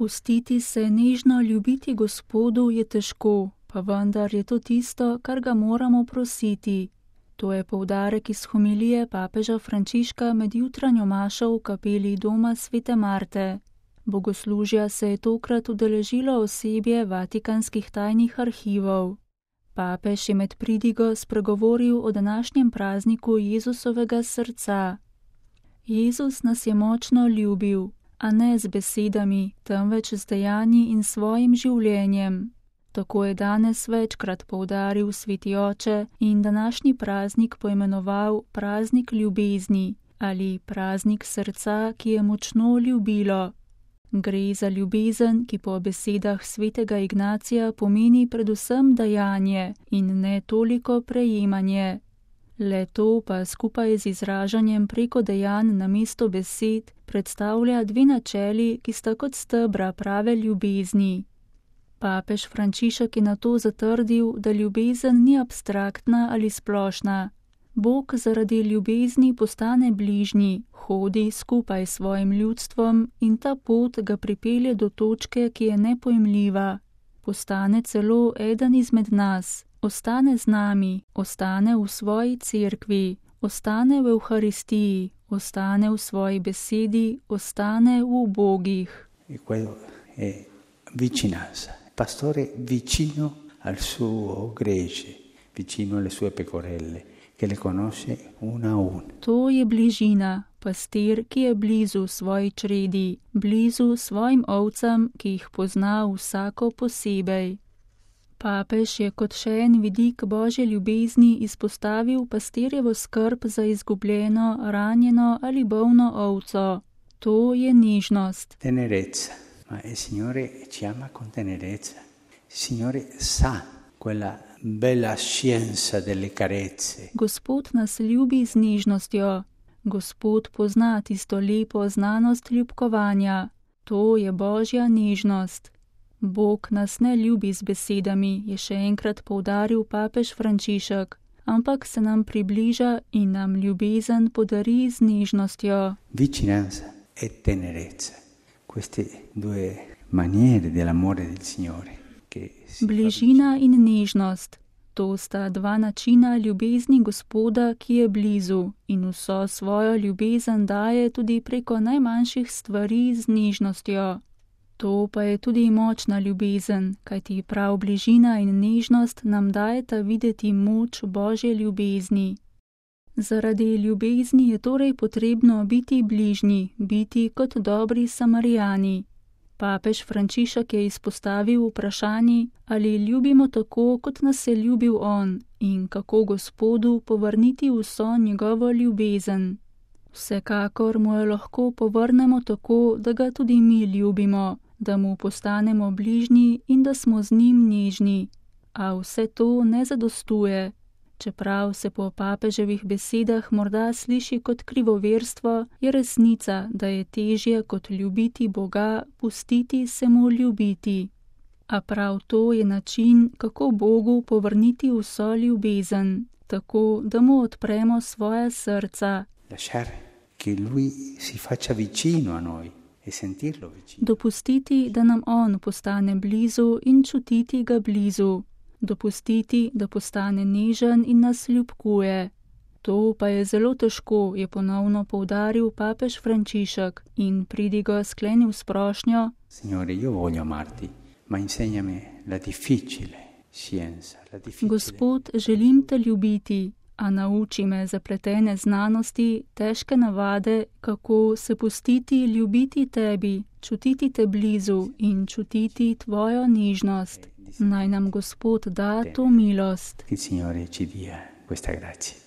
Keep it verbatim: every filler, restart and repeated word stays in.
Pustiti se nežno ljubiti Gospodu je težko, pa vendar je to tisto, kar ga moramo prositi. To je poudarek iz homilije papeža Frančiška med jutranjo mašo v kapeli doma svete Marte. Bogoslužja se je tokrat udeležilo osebje vatikanskih tajnih arhivov. Papež je med pridigo spregovoril o današnjem prazniku Jezusovega srca. Jezus nas je močno ljubil, a ne z besedami, temveč z dejanji in svojim življenjem. Tako je danes večkrat poudaril sveti oče in današnji praznik poimenoval praznik ljubezni ali praznik srca, ki je močno ljubilo. Gre za ljubezen, ki po besedah svetega Ignacija pomeni predvsem dajanje in ne toliko prejemanje. Le to pa skupaj z izražanjem preko dejanj namesto besed predstavlja dve načeli, ki sta kot stebra prave ljubezni. Papež Frančišek je nato zatrdil, da ljubezen ni abstraktna ali splošna. Bog zaradi ljubezni postane bližnji, hodi skupaj s svojim ljudstvom in ta pot ga pripelje do točke, ki je nepojmljiva. Postane celo eden izmed nas, ostane z nami, ostane v svoji cerkvi, ostane v Evharistiji, ostane v svoji besedi, ostane v ubogih. Vicinanza, pastore vicino al suo gregge, vicino alle sue pecorelle, che le conosce una a una. To je bližina, pastir, ki je blizu svoji čredi, blizu svojim ovcam, ki jih pozna vsako posebej. Papež je kot še en vidik Božje ljubezni izpostavil pastirjevo skrb za izgubljeno, ranjeno ali bolno ovco. To je nežnost. Tenerezza. Ma il Signore ci ama con tenerezza. Il Signore sa quella bella scienza delle carezze. Gospod nas ljubi z nežnostjo. Gospod pozna tisto lepo znanost ljubkovanja. To je Božja nežnost. Bog nas ne ljubi z besedami, je še enkrat poudaril papež Frančišek, ampak se nam približa in nam ljubezen podari z nežnostjo. Vicinanza e tenerezza. Queste due maniere dell'amore del Signore. Bližina in nežnost. To sta dva načina ljubezni Gospoda, ki je blizu in vso svojo ljubezen daje tudi preko najmanjših stvari z nežnostjo. To pa je tudi močna ljubezen, kajti prav bližina in nežnost nam dajeta videti moč Božje ljubezni. Zaradi ljubezni je torej potrebno biti bližnji, biti kot dobri Samarijani. Papež Frančišek je izpostavil vprašanje, ali ljubimo tako, kot nas je ljubil on, in kako Gospodu povrniti vso njegovo ljubezen. Vsekakor mu jo lahko povrnemo tako, da ga tudi mi ljubimo, da mu postanemo bližnji in da smo z njim nežni. A vse to ne zadostuje. Čeprav se po papeževih besedah morda sliši kot krivoverstvo, je resnica, da je težje kot ljubiti Boga, pustiti se mu ljubiti. A prav to je način, kako Bogu povrniti vso ljubezen, tako da mu odpremo svoja srca. Dopustiti, da nam on postane blizu in čutiti ga blizu. Dopustiti, da postane nežen in nas ljubkuje. To pa je zelo težko, je ponovno poudaril papež Frančišek in pridigo sklenil s prošnjo: Signore, io voglio amarti, ma insegnami la difficile scienza, la difficile. Gospod, želim te ljubiti, a nauči me zapletene znanosti, težke navade, kako se pustiti ljubiti tebi, čutiti te blizu in čutiti tvojo nežnost. Naj nam Gospod da to milost. Il Signore ci dia questa grazia.